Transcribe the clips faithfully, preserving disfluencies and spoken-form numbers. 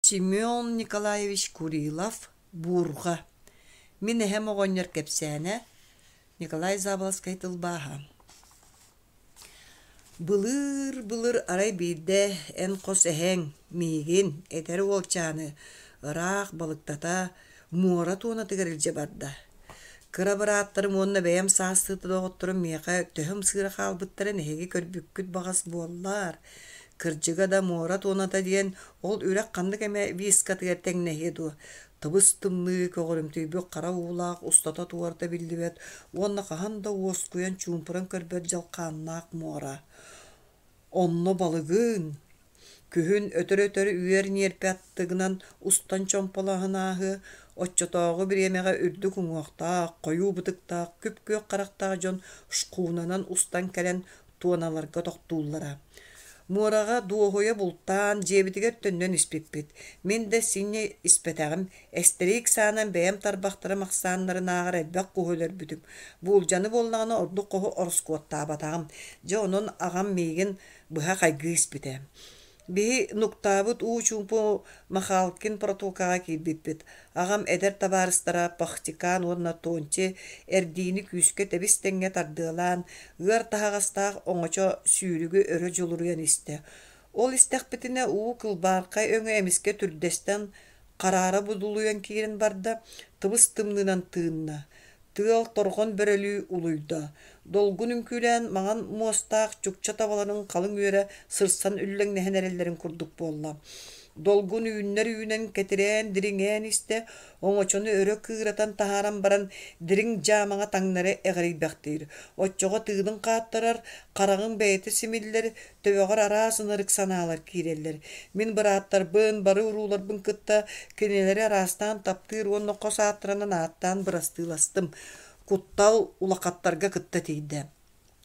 Семен Николаевич Курилов «Буурҕа» Мин эһэм оҕонньор кэпсээнэ Николай Заболоцкай тылбааһа Былыыр-былыр арай биирдэ эн хос эһэҥ миигин, эдэр уолчааны, ыраах балыктата муора туонатыгар илдьэ барда. Кыра бырааттарым уонна бэйэм саастыы доҕотторум миэхэ төһө ымсыыра хаалбыттарын эһиги көрбүккүт баҕас буоллар. Кырдьыга да муора туоната диэн ол үрэх ханнык эмэ вискатыгар тэҥнэһиэ дуо, тыбыс-тымныы көҕөрүмтүйбүт хара уулаах устата-туората биллибэт уонна хаһан да уоскуйан чуумпуран көрбөт дьалхааннаах муора. Онно балыгын, күһүн өтөр-өтөр үөр ньиэрпэ аттыгынан устан чомполоһон ааһыа, оччотооҕу бириэмэҕэ үрдүк уҥуохтаах, хойуу бытыктаах, күп-күөх харахтаах дьон шхунанан устан кэлэн туоналарга тохтууллара. Муораҕа дуоһуйа бултаан, дьиэбитигэр төннөн испиппит. Мин да синньэ испэтэҕим, эстэрик саанан бэйэм тарбахтарым ахсааннарынааҕар элбэх куһу өлөрбүтүм. Буулдьаны буоллаҕына ордук хоһу ороскуоттаабатаҕым. Дьэ онон аҕам миигин быһа хайгыы испитэ. Биһи нуктаабыт уу чуумпу Махалкин протокаҕа киирбиппит. Аҕам эдэр табаарыстара Пахтикан уонна Тонти эрдиини күүскэ тэбис-тэҥҥэ тардыалаан, ыар таһаҕастаах оҥочо сүүрүгү өрө дьулуруйан истэ. Ол истэхпитинэ уу кылбаархай өҥө эмискэ түрдэстэн хараара будулуйан киирэн барда, тыбыс-тымныынан тыынна. Тыал торҕон бөрөлүү улуйда, долгун үҥкүүлээн маҥан муостаах чукча табаларын халыҥ үөрэ сырсан үллэҥнэһэн эрэллэрин курдук буолла. Долгун үүннэр үүнэн кэтирээн дириҥээн истэ, оҥочону өрө кыыратан таһааран баран дириҥ дьаамаҕа таҥнары эҕирийбэхтиир. Оччоҕо тыынын хааттарар, хараҕыҥ бэйэтэ симиллэр, төбөҕөр араас ынырык санаалар киирэллэр. Мин бырааттарбын, бары урууларбын кытта кинилэри араастаан таптыыр уонна хос ааттарынан ааттаан бырастыыластым. Куттал улахаттарга кытта тиийдэ.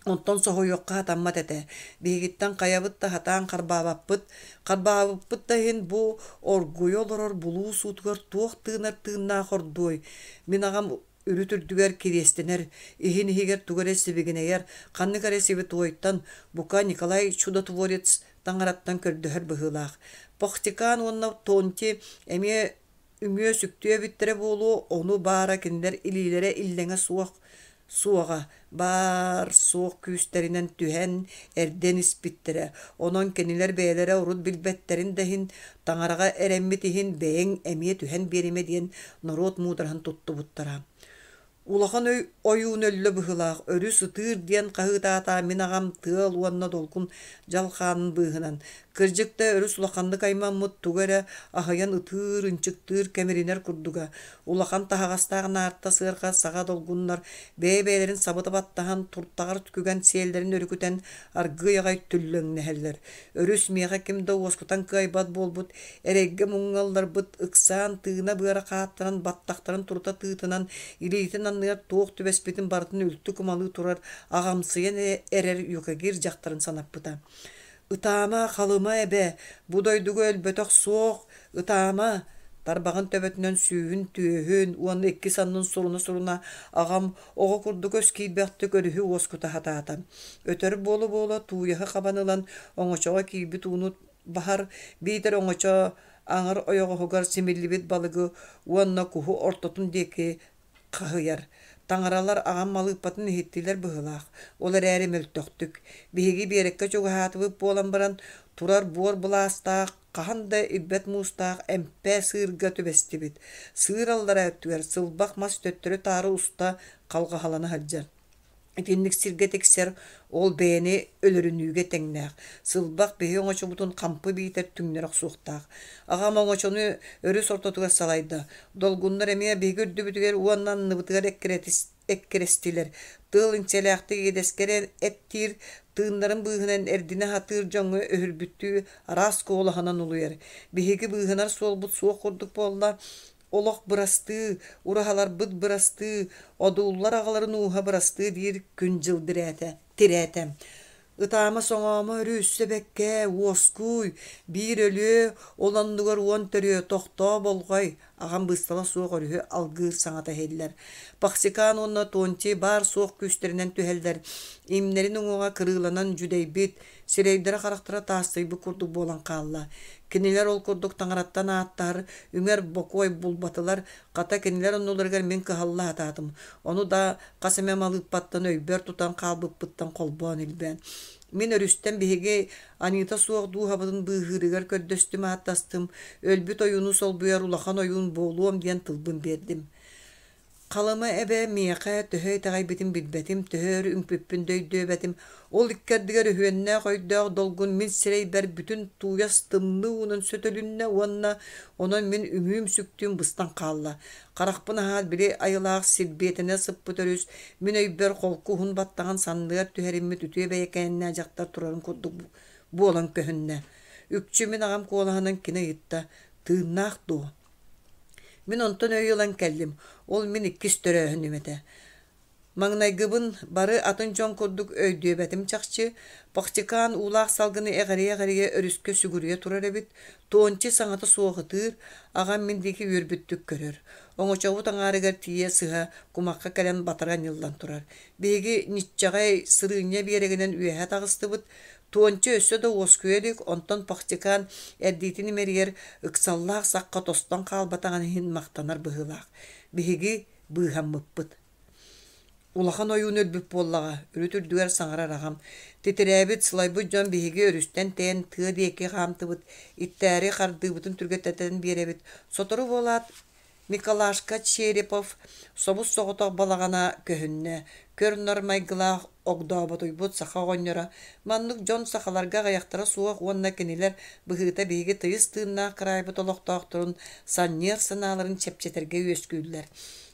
Онтон соһуйуохха сатаммат этэ. Биһигиттэн хайабыт да сатаан харбаабаппыт. Харбаабыппыт да иһин бу оргуйа олорор булуу суутугар туох тыынар тыыннаах ордуой? Мин аҕам үрүт үрдүгэр кириэстэнэр, иһин иһигэр тугу эрэ сибигинэйэр, ханнык эрэ святойтан, бука Николай Чудотворец таҥараттан көрдөһөр быһыылаах. Пахтикан уонна Тонти эмиэ үҥүө-сүктүө эбиттэрэ буолуо, ону баара кинилэр илиилэрэ иллэҥэ суох суоҕа, баар-суох күүстэринэн түһэн, эрдэн испиттэрэ. Онон кинилэр бэйэлэрэ урут билбэттэрин да иһин, таҥараҕа эрэммит иһин бэйэҥ эмиэ түһэн биэримэ диэн норуот муудараһын туттубуттара. Улахан өй ойуун өллө быһыылаах, өрүс ытыыр диэн хаһыытаата мин аҕам тыал уонна долгун дьалхаанын быыһынан. Кырдьык да өрүс улаханнык аймаммыт тугу эрэ аһыйан ытыыр, ынчыктыыр, кэмиринэр курдуга. Улахан таһаҕастаах наарта сыарҕа саҕа долгуннар бэйэ-бэйэлэрин сабыта баттаһан, туртаҕар күгэн сиэллэрин өрүкүтэн аргыый аҕай түллэҥнэһэллэр. Өрүс миэхэ ким да уоскутан кыайбат буолбут, эрэйгэ-муҥҥа ылларбыт, ыксаан тыына-быара хааттаран, баттахтарын турута тыытынан, илиитин анныгар туох түбэспитин барытын үлтү кумалыы турар аҕамсыйан эрэр юкагир дьахтарын санаппыта. «Ытаама, Халыма эбэ, бу дойдуга өлбөтөх суох, ытаама!» Тарбаҕын төбөтүнэн сүүһүн, түөһүн уонна икки саннын суруна-суруна аҕам оҕо курдук өс киирбэхтик өрүһү уоскута сатаата. Өтөр буола-буола тууйаһы хабан ылан оҥочоҕо киирбит ууну баһар, биитэр оҥочо аҥар ойоҕоһугар симиллибит балыгы уонна куһу ортотун диэки хаһыйар. Таҥаралар аҕам малыыппатын иһиттилэр быһыылаах, ол эрээри мөлтөхтүк. Биһиги биэрэккэ чугаһаатыбыт буолан баран, турар буор былаастаах, хаһан да ирбэт муустаах эмпэ сыырга түбэстибит. Сыыр аллараа өттүгэр сылбах мас төттөрү-таары уста халҕаһалана сылдьар. Итинник сиргэ тиксэр ол бэйэни өлөрүнүүгэ тэҥнээх. Сылбах биһи оҥочобутун хампы биитэр түҥнэри охсуохтаах. Аҕам оҥочону өрүс ортотугар салайда. Долгуннар эмиэ биһиги үрдүбүтүгэр уонна анныбытыгар эккирэстилэр. Тыал иҥсэлээхтик иэдэскэ эрэ эттиир, тыыннарын быыһынан эрдинэ сатыыр дьоҥҥо өһүрбүттүү араас куолаһынан улуйар. Биһиги быыһанар суолбут суох курдук буолла. Олох бырастыы, ураһаларбыт бырастыы, одууллар аҕаларын ууһа бырастыы диир күн-дьыл дирээтэ, тирээтэ. Ытаама-соҥоомо өрүссэ бэккээ, уоскуй, биир өлүө, ол оннугар уон төрүө, тохтоо болҕой, аҕам быыстала суох өрүһү алгыыр саҥата иһиллэр. Пахсикан уонна Тонти баар-суох күүстэринэн түһэллэр, имнэрин уҥуоҕа кырыыланан дьүдэйбит, сирэйдэрэ-харахтара таастыйбыт курдук буолан хаалла. Кинилэр ол курдук таҥараттан ааттаһар, үҥэр бокуой булбатылар. Хата кинилэр оннуларыгар мин кыһалла сатаатым. Ону да хас эмэ малыыппаттан өйбөр тутан хаалбыппыттан холбоон илбээн. Мин өрүстэн биһиги аньыыта суох дууһабытын быыһыырыгар көрдөстүм ааттастым, өлбүт ойууну солбуйар улахан ойуун буолуом диэн тылбын биэрдим. Халыма эбэ миэхэ төһө итэҕэйбитин билбэтим, төһө өр үҥпүппүн да өйдөөбөтүм. Ол икки ардыгар өһүөннээх өйдөөх долгун мин сирэйбэр бүтүн тууйас тымныы уунан сөтөлүннэ уонна онон мин үҥүүм-сүктүүм быстан хаалла. Харахпын аһаат били айылаах силбиэтэнэ сыппыт өрүс мин өйбөр холку уһун баттаҕын санныгар түһэриммит үтүө бэйэкээннээх дьахтар турарын курдук буолан көһүннэ. Үкчү мин аҕам куолаһынан кини ыйытта: «Тыыннаах дуо?» Мин онтон өй ылан кэллим, ол мин иккис төрөөһүнүм этэ. Маҥнайгыбын бары атын дьон курдук өйдүөбэтим чахчы, Пахтикаан уулаах салгыны эҕирийэ-эҕирийэ өрүскэ сүгүрүйэ турар эбит, Тончи саҥата суох ытыыр, аҕам мин диэки үөрбүттүк көрөр. Оҥочобут аҥаарыгар тиийэ сыһа кумахха кэлэн батары анньыллан турар. Биһиги ньиччэҕэй сырыынньа биэрэгинэн үөһэ таҕыстыбыт, Туонча өссө да уоскуйа илик, онтон Пахтикаан эрдиитин имэрийэр, ыксаллаах сахха тостон хаалбатаҕын иһин махтанар быһыылаах. Биһиги быыһаммыппыт. Улахан ойуун өлбүт буоллаҕа, үрүт үрдүгэр саҥарар аҕам. Титирээбит, сылайбыт дьон биһиги өрүстэн тэйэн тыа диэки хаамтыбыт, иттээри хардыыбытын түргэтэтэн биэрэбит. Сотору буолаат Миколашка Черепов собус-соҕотох балаҕана көһүннэ, көр-нар майгылаах огдооботуйбут саха оҕонньоро. Маннык дьон сахаларга аҕыйахтара суох уонна кинилэр быһыыта биһиги тыйыс тыыннаах кыраайбыт олохтоохторун санньыар санааларын чэпчэтэргэ үөскүүллэр.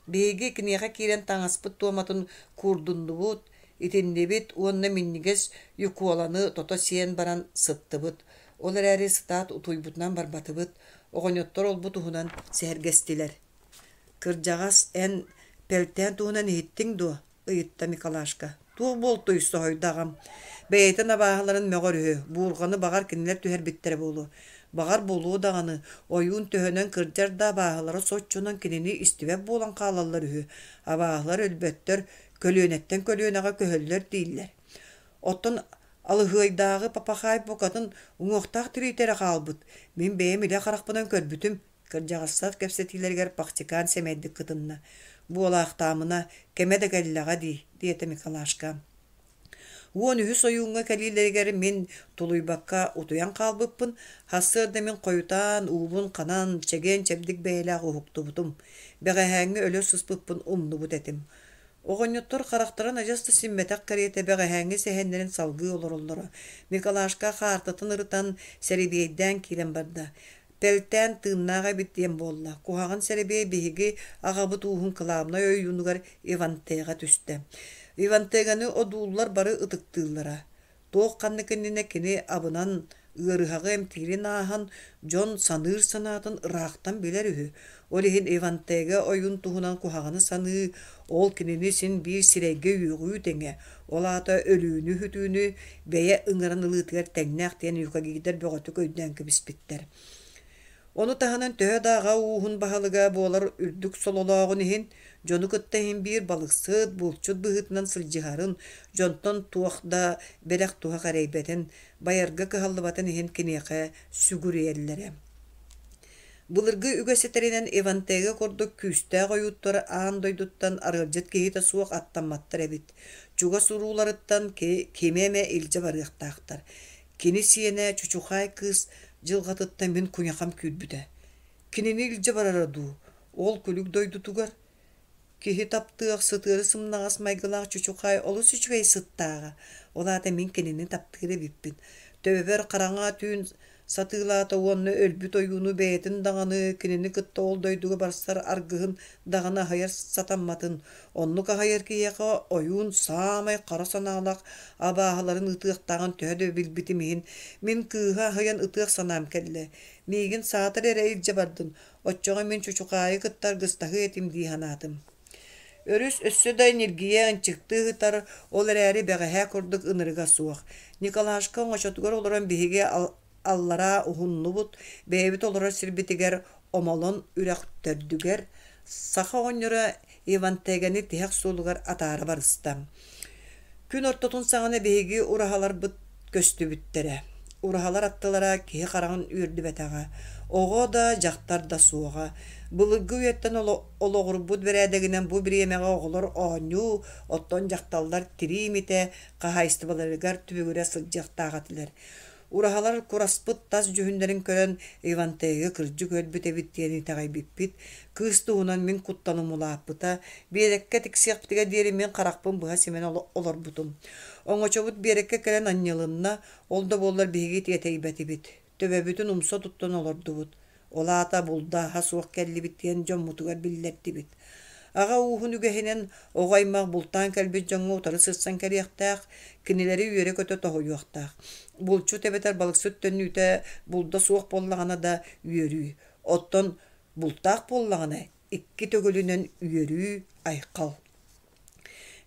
Биһиги киниэхэ киирэн таҥаспыт туоматын куурдуннубут, итиннибит уонна минньигэс юколаны тото сиэн баран сыттыбыт. Ол эрээри сытаат утуйбутунан барбатыбыт, оҕонньоттор олбу туһунан сэһэргэстилэр. «Кырдьаҕас, эн Пэлтээн туһунан иһиттиҥ дуо?» ыйытта Миколашка. «Туох буолтуй?» соһуйда аҕам. Бэйэтин абааһыларын мөҕөр үһү, буурҕаны баҕар кинилэр түһэрбиттэрэ буолуо. Баҕар буолуо даҕаны, ойуун төһөнөн кырдьар да абааһылара соччонон кинини истибэт буолан хаалаллар үһү. Абааһылар өлбөттөр, көлүөнэттэн көлүөнэҕэ көһөллөр дииллэр. Оттон Алыһыайдааҕы Папахаай букатын уҥуохтаах тириитэ эрэ хаалбыт. Мин бэйэм илэ харахпынан көрбүтүм. Кырдьаҕастар кэпсэтиилэригэр Пахтикаан сэмэйдик кытынна. Буолаахтаамына, кэмэ да кэллэҕэ дии, диэтэ Миколашка. Уон үһүс ойууҥҥа кэлиилэригэр мин тулуйбакка утуйан хаалбыппын, сарсыарда мин хойутаан, уубун ханан, чэгиэн-чэбдик бэйэлээх уһуктубутум. Бэҕэһээҥҥи өлө сыспыппын умнубут этим. Оҕонньоттор харахтарын адьас да симмэтэх кэриэтэ бэҕэһээҥҥи сэһэннэрин салгыы олороллоро. Миколашка хаартытын ырытан, сэрэбиэйдээн киирэн барда. Пэлтээн тыыннаах эбит диэн буолла. Куһаҕан сэрэбиэй биһиги аҕабыт ууһун кылаабынай ойуунугар Ивантеҕа түстэ. Ивантеганы одууллар бары ытыктыыллара. Туох ханнык иннинэ кини абынан ыарыһаҕы эмтиирин ааһан, дьон саныыр санаатын ыраахтан билэр үһү. Ол иһин Ивантега ойуун туһунан куһаҕаны саныы, ол кинини син биир сирэйгэ үөҕүү тэҥэ, ол аата өлүүнү-сүтүүнү бэйэ ыҥыран ылыытыгар тэҥнээх диэн юкагирдар бөҕөтүк өйдөөн кэбиспиттэр. Ону таһынан төһө да аҕа ууһун баһылыга буолар үрдүк сололооҕун иһин, дьону кытта иһин биир балыксыт, булчут быһыытынан сылдьыһарын, дьонтон туох да бэлэх-туһах эрэйбэтин, байарга кыһаллыбатын иһин киниэхэ сүгүрүйэллэрэ. Былыргы үгэс этэринэн Ивантега курдук күүстээх ойууттар аан дойдуттан арыалдьыт киһитэ суох аттамматтар эбит. Чугас урууларыттан кими эмэ илдьэ барыахтаахтар. Кини сиэнэ Чучухаай кыыс дьылҕатыттан мин куйахам күүрбүтэ. Кинини илдьэ барара дуу, ол күлүк дойдутугар Киһи таптыах, сытыары сымнаҕас майгылаах Чучухаай олус үчүгэй сыттааҕа. Ол аата мин кинини таптыыр эбиппин. Төбөбөр хараҥа түүн сатыылаата уонна өлбүт ойууну бэйэтин даҕаны, кинини кытта ол дойдуга барсар аргыһын даҕаны аһыйар сатамматын. Оннук аһыйар киһиэхэ ойуун саамай хара санаалаах абааһыларын ыытыахтааҕын төһө да билбитим иһин, мин кыыһы аһыйан ытыах санаам кэллэ. Миигин саатар эрэ илдьэ бардын, оччоҕо мин Чучухаайы кытта аргыстаһыа этим дии санаатым. Өрүс өссө да ньиргийэ ынчыктыы сытар, ол эрээри бэҕэһээ курдук ынырыга суох. Николашка оҥочотугар олорон биһиги аллараа уһуннубут, бэйэбит олорор сирбитигэр Омолон үрэх төрдүгэр саха оҕонньоро Ивантэгэни тиһэх суолугар атаара барыста. Күн ортотун саҕана биһиги ураһаларбыт көстүбүттэрэ. Ураһалар аттылара киһи хараҕын үөрдүбэтэҕэ, оҕо да, дьахтар да суоҕа. Былыргы үйэттэн олоҕурбут бэрээдэгинэн бу бириэмэҕэ оҕолор оонньуу, оттон дьахталлар тирии имитэ, хаһаайыстыбаларыгар түбүгүрэ сылдьыахтаах этилэр. Ураһалар кураспыт тас дьүһүннэрин көрөн, Ивантейга кырдьык өлбүт эбит диэн итэҕэйбиппит. Кыыс туһунан мин куттаным улааппыта. Биэрэккэ тиксиэхпитигэр диэри мин харахпын быһа симэн олорбутум. Оҥочобут биэрэккэ кэлэн анньылынна, ол да буоллар биһиги тиэтэйбэтибит. Төбөбүтүн умса туттан олордубут. Ол аата булда-аһа суох кэллибит диэн дьоммутугар биллэрдибит. Аҕа ууһун үгэһинэн оҕо аймах бултаан кэлбит дьоҥҥо утары сырсан кэлиэхтээх, кинилэри үөрэ-көтө тоһуйуохтаах. Булчут эбэтэр балыксыт төннүүтэ булда суох буоллаҕына да үөрүү, оттон бултаах буоллаҕына икки төгүлүнэн үөрүү, айхал.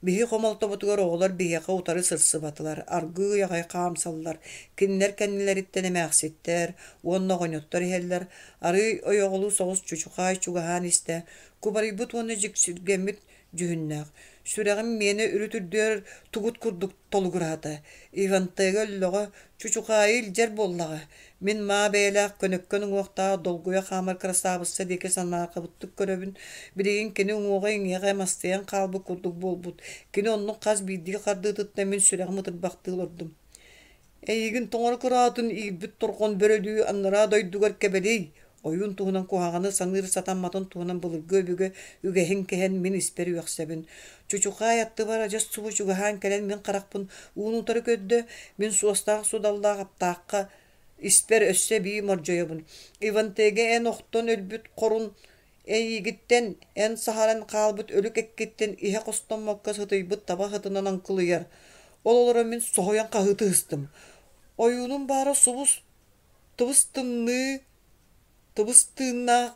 Биһи хомолтобутугар оҕолор биһиэхэ утары сырсыбатылар, аргыый аҕай хаамсаллар, кинилэр кэннилэриттэн эмээхситтэр уонна оҕонньоттор иһэллэр, арыый ойоҕолуу соҕус чучухаай чугаһаан истэ, кубарыйбыт уонна дьиксиргэммит дьүһүннээх, сүрэҕим миэнэ үрүт үрдүгэр тугут курдук толугураата. Ивантега өллөҕө, чучухаайы илдьэр буоллаҕа. Мин маа бэйэлээх көнөккөн уҥуохтаах долгуйа хаамар кырасаабысса диэки санаарҕабыттык көрөбүн. Билигин кини уҥуоҕа-иҥиэҕэ мастыйан хаалбыт курдук буолбут. Кини оннук хас биирдии хардыытыттан мин сүрэҕим ытырбахтыы олордум. Эйигин тоҥоро кыраатын иирбит торҕон бөрөлүү анараа дойдугар кэбэлий, ойуун туһунан куһаҕаны саныыр сатамматын туһунан былыргы өбүгэ үгэһин кэһэн мин испэр үөхсэбин. Чучухаай аттыбар адьас субу чугаһаан кэлэн мин харахпын уун утары көрдө, мин суостаах судаллаах аптаахха испэр өссө эбии мордьойобун. Ивантега эн охтон өлбүт хорун эйиигиттэн, эн саһаран хаалбыт өлүк эккиттэн иһэ хостоммокко сытыйбыт таба сытынан оҥкулуйар. Ол олорон мин соһуйан хаһыытыы ыстым. Ойуунум баара субус тыбыс тымныы, тыбыс тыыннаах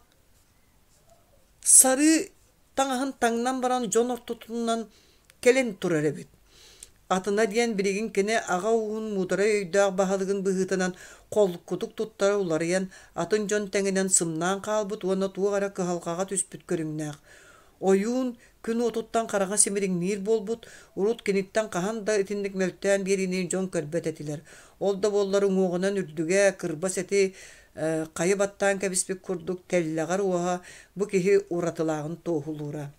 сарыы таҥаһын таҥнан баран дьон ортотунан кэлэн турар эбит. Атына диэн билигин кини аҕа ууһун муударай өйдөөх баһылыгын быһыытынан холкутук туттара уларыйан, атын дьон тэҥинэн сымнаан хаалбыт уонна туох эрэ кыһалҕаҕа түспүт көрүҥнээх. Ойуун күн уотуттан хараҕа симириҥниир буолбут, урут киниттэн хаһан да итинник мөлтөөн биэриини дьон көрбөт этилэр. Ол да буоллар уҥуоҕунан үрдүгэ, кырбас эти хайы баттаан кэбиспит курдук тэллэҕэр уоһа бу киһи уратылааҕын туоһулуура.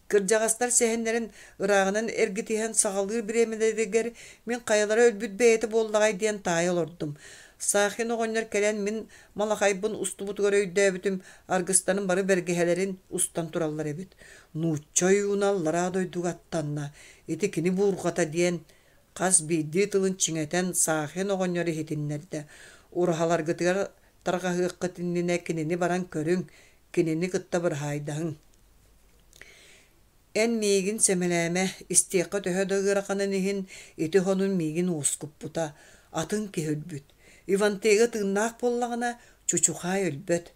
Кырдьаҕастар сэһэннэрин ырааҕынан эргитиһэн саҕалыыр бириэмэлэригэр мин хайалара өлбүт бэйэтэ буоллаҕай диэн таайа олордум. Сахин оҕонньор кэлэн мин малахайбын устубутугар өйдөөбүтүм, аргыстарын бары бэргэһэлэрин устан тураллар эбит. Нуучча ойууна аллараа дойдуга аттанна, ити кини буурҕата диэн хас биирдии тылын чиҥэтэн Сахин оҕонньор иһитиннэрдэ. Ураһаларгытыгар тарҕаһыаххыт иннинэ кинини баран көрүҥ, кинини кытта быраһаайдаһыҥ. Эн миигин сэмэлээмэ, истиэххэ төһө да ыараханын иһин, ити хонун миигин уоскуппута, атын киһи өлбүт. Ивантега тыыннаах буоллаҕына, Чучухаай өлбөт.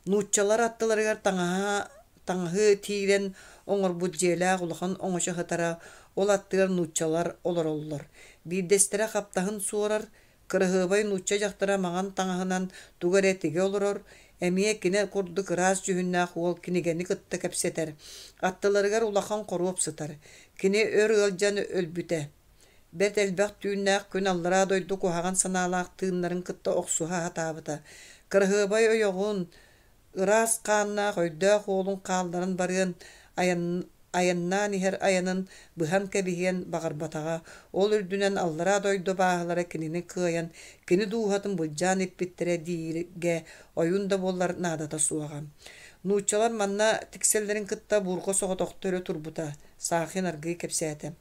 Нууччалар аттыларыгар таҥаһа таҥаһы тиирэн оҥорбут дьиэлээх улахан оҥочо сытара, ол аттыгар нууччалар олороллор. Биирдэстэрэ хаптаһын суорар, кыраһыабай нуучча дьахтара маҥан таҥаһынан тугу эрэ тигэ олорор, эмиэ кини курдук ыраас дьүһүннээх уол кинигэни кытта кэпсэтэр. Аттыларыгар улахан хоруоп сытар. Кини өр ыалдьан өлбүтэ. Бэрт элбэх түүннээх күн аллараа дойду куһаҕан санаалаах тыыннарын кытта охсуһа сатаабыта. Кыраһыабай ойоҕун, ыраас хааннаах өйдөөх уолун хаалларан барыан, айан айаннаан иһэр айанын быһан кэбиһиэн баҕарбатаҕа, ол үрдүнэн аллараа дойду абааһылара кинини кыайан, кини дууһатын былдьаан иппиттэрэ дииргэ ойуун да буоллар наадата суоҕа. Нууччалар манна тиксэллэрин кытта буурҕа соҕотохто өрө турбута, Сахин аргыый кэпсээтэ.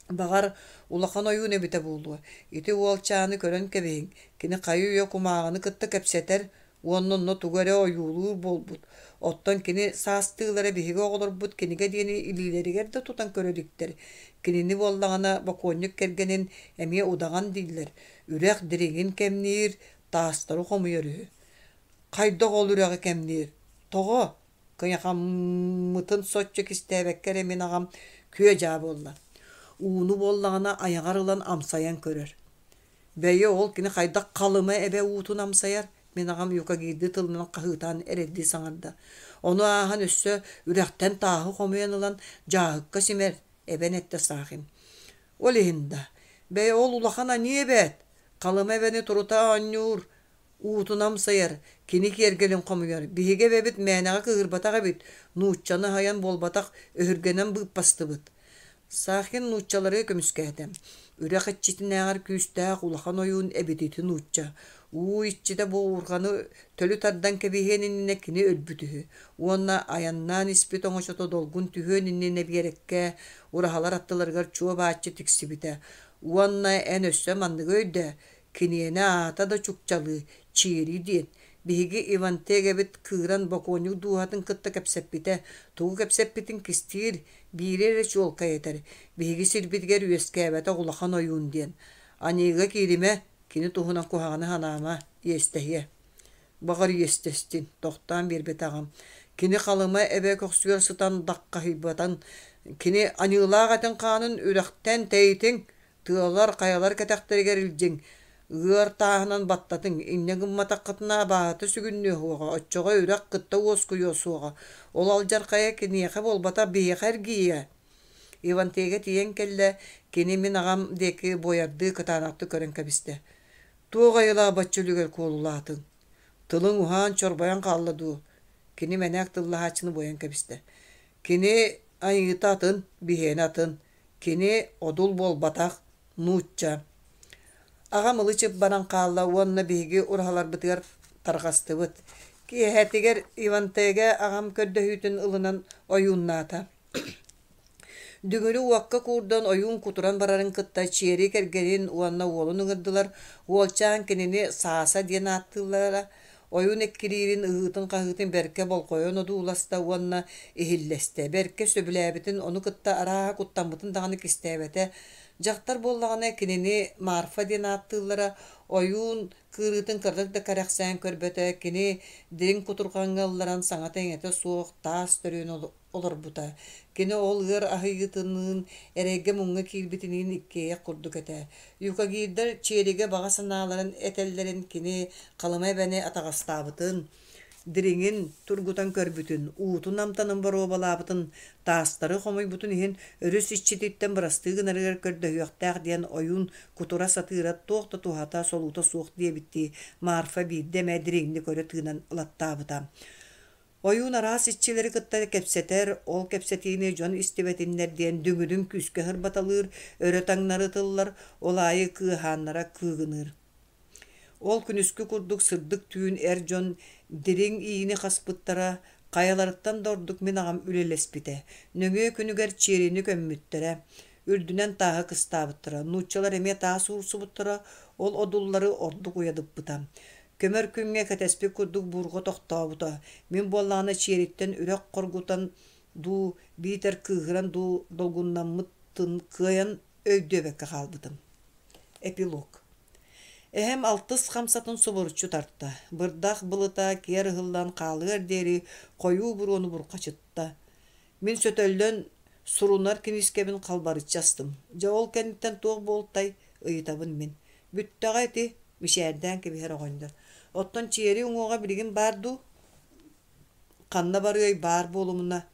Баҕар, улахан ойуун эбитэ буолуо. Ити уолчааны көрөн кэбиһиҥ, кини хайы-үйэ кумааҕыны кытта кэпсэтэр уонна онно тугу эрэ ойуулуур буолбут. Оттон кини саастыылара биһиги оҕолорбут кинигэ диэни илиилэригэр да тутан көрө иликтэр. Кинини буоллаҕына бокуонньук кэргэнин эмиэ удаҕан дииллэр, үрэх дириҥин кэмниир, таастары хомуйар үһү. Хайдах ол үрэҕи кэмниир? Тоҕо? Кыйахаммытын соччо кистээбэккэ эрэ мин аҕам күө-дьаа буолла. Ууну буоллаҕына айаҕар ылан амсайан көрөр. Бэйи ол кини хайдах Халыма эбэ уутун амсайар? Мин аҕам юкагирдыы тылынан хаһыытаан эрэйдии саҥарда. Ону ааһан өссө үрэхтэн тааһы хомуйан ылан дьааһыкка симэр, эбэн эттэ Сахин. Ол иһин да, бэйэ ол улахан аньыы эбээт! Халыма эбэни турута оонньуур, уутун амсайар, кини киэргэлин хомуйар. Биһиги эбэбит мээнэҕэ кыыһырбатах эбит, нууччаны аһыйан буолбатах, өһүргэнэн быыппастыбыт. Сахин нууччалары көмүскээтэ. Үрэх иччитинээҕэр күүстээх улахан ойуун эбит ити нуучча. Уу иччитэ буурҕаны төлү тардан кэбиһиэн иннинэ кини өлбүт үһү. Уонна айаннаан испит оҥочото долгун түһүөн иннинэ биэрэккэ ураһалар аттыларыгар чуо-бааччы тиксибитэ. Уонна эн өссө манныгы өйдөө, киниэнэ аата да чукчалыы, Чиэри диэн. Биһиги Ивантегэбит кыыран бокуонньук дууһатын кытта кэпсэппитэ, тугу кэпсэппитин кистиир, биири эрэ чуолкай этэр: биһиги сирбитигэр үөскээбэтэх улахан ойуун диэн. Аньыыга кииримэ, кини туһунан куһаҕаны санаама, иэстэһиэ. Баҕар иэстэстин, тохтоон биэрбэтэҕим. Кини Халыма эбэ көхсүгэр сытан даххаһыйбатан, кини аньыылаах этин хаанын үрэхтэн тэйитиҥ, тыалар, хайалар кэтэхтэригэр илдьиҥ, ыар тааһынан баттатыҥ, инньэ гымматаххытына абааһыта сүгүннүө суоҕа, оччоҕо үрэх кытта уоскуйуо суоҕа, ол алдьархайа киниэхэ буолбатах биһиэхэ эргийиэ. Ивантега тиийэн кэллэ, кини мин аҕам диэки буойардыы кытаанахтык көрөн кэбистэ. Туох айылаах бачча үлүгэр куолулаатыҥ? Тылыҥ уһаан чорбойон хаалла дуу? Кини мэнээк тыллаһааччыны буойан кэбистэ. Кини айыыта атын, биһиэнэ атын. Кини одул буолбатах, нуучча. Аҕам ылы-чып баран хаалла уонна биһиги ураһаларбытыгар тарҕастыбыт. Киэһэтигэр Ивантега аҕам көрдөһүүтүн ылынан ойууннаата. Дүҥүрү уокка куурдан ойуун кутуран барарын кытта Чиэри кэргэнин уонна уолун ыҥырдылар. Уолчаан кинини Сааса диэн ааттыыллара. Ойуун эккириирин, ыһыытын-хаһыытын бэркэ болҕойон одууласта уонна иһиллэстэ. Бэркэ сөбүлээбитин, ону кытта арааһа куттаммытын даҕаны кистээбэтэ. Дьахтар буоллаҕына кинини Марфа диэн ааттыыллара. Ойуун кыырыытын кыратык да кэрэхсээн көрбөтө. Кини дириҥ кутурҕаҥҥа ылларан саҥата-иҥэтэ суох таас төрүөн олорбута. Кини ол ыар аһыйыытыныын, эрэйгэ-муҥҥа киирбитиниин иккиэйэх курдук этэ. Юкагирдар Чиэригэ баҕа санааларын этэллэрин кини Халыма эбэни атаҕастаабытын, дириҥин тургутан көрбүтүн, уутун амтанын боруобалаабытын, таастары хомуйбутун иһин өрүс иччититтэн бырастыы гынарыгар көрдөһүөхтээх диэн ойуун кутура сатыыра туох да туһата, солуута суох диэбиттии Марфа биирдэ эмэ дириҥник өрө тыынан ылаттаабыта. Ойуун араас иччилэри кытта кэпсэтэр, ол кэпсэтиини дьон истибэтиннэр диэн дүҥүрүн күүскэ сырбаталыыр, өрө таҥнары ытыллар, ол аайы кыаһааннара кыыгыныыр. Ол күнүскү курдук сырдык түүн эр дьон дириҥ иини хаспыттара, хайаларыттан да ордук мин аҕам үлэлэспитэ. Нөҥүө күнүгэр чиэрини көммүттэрэ, үрдүнэн тааһы кыстаабыттара, нууччалар эмиэ таас уурсубуттара, ол одуллары ордук уйадыппыта. Көмөр күҥҥэ кэтэспит курдук буурҕа тохтообута. Мин буоллаҕына чиэриттэн үрэх хоргутан дуу, биитэр кыыһыран дуу долгуннаммытын кыайан өйдүөбэккэ хаалбытым. Эпилог. Эһэм алтыс хамсатын субуруччу тарта, бырдах былыта киэр ыһыллан хаалыар диэри хойуу буруону бурҕачытта. Мин сөтөллөн сурунар киниискэбин халбарыччы астым. Дьэ ол кэнниттэн туох буолтай, ыйытабын мин. Бүттэҕэ ити, мичээрдээн кэбиһэр оҕонньор. Оттон чиэри уҥуоҕа билигин баар дуу? Ханна барыай, баар буолумуна.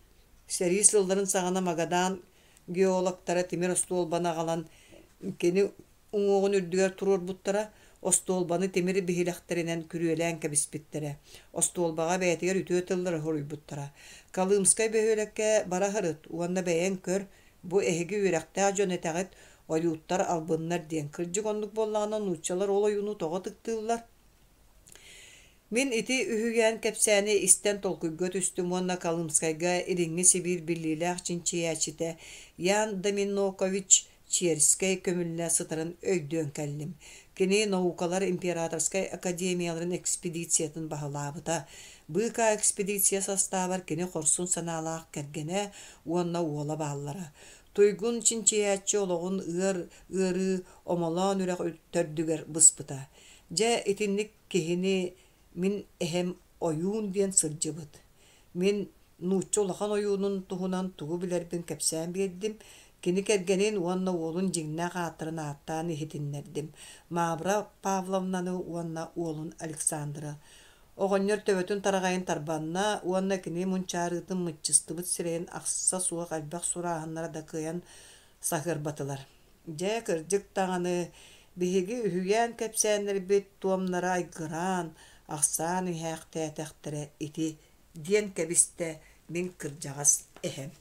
Сэрии сылларын саҕана Магадан геологтара тимир остуолбаны аҕалан кини уҥуоҕун үрдүгэр туруорбуттара, остуолбаны тимир биһилэхтэринэн күрүөлээн кэбиспиттэрэ. Остуолбаҕа бэйэтигэр үтүө тыллары суруйбуттара. Колымскай бөһүөлэккэ бара сырыт уонна бэйэҥ көр, бу эһиги үөрэхтээх дьон этэҕит, ойууттар албыннар диэн. Кырдьык оннук буоллаҕына нууччалар ол ойууну тоҕо ытыктыыллар? Мин ити үһүйээн кэпсээни истэн толкуйга түстүм уонна Колымскайга Илиҥҥи Сибиир биллиилээх чинчийээччитэ Ян Доминокович Черскэй көмүллэ сытарын өйдөөн кэллим. Кини наукалар императорскай академияларын экспедициятын баһылаабыта. Быыкаа экспедиция састаабар кини хорсун санаалаах кэргэнэ уонна уола бааллара. Туйгун чинчийээччи олоҕун ыар ыарыы Омолоон үрэх төрдүгэр быспыта. Дьэ, итинник киһини мин эһэм ойуун диэн сылдьыбыт. Мин нуучча улахан ойуунун туһунан тугу билэрбин кэпсээн биэрдим, кини кэргэнин уонна уолун дьиҥнээх ааттарын ааттаан иһитиннэрдим: Мавра Павловнаны уонна уолун Александры. Оҕонньор төбөтүн тараҕайын тарбанна уонна кини мунчаарыытын мыччыстыбыт сирэйин ахса суох элбэх сурааһыннара да кыайан саһыарбатылар. Дьэ, кырдьык даҕаны, Биһиги үһүйээн кэпсээннэрбит туомнара айгыраан, ахсаан иһээхтээтэхтэрэ ити, диэн кэбистэ мин кырдьаҕас эһэм.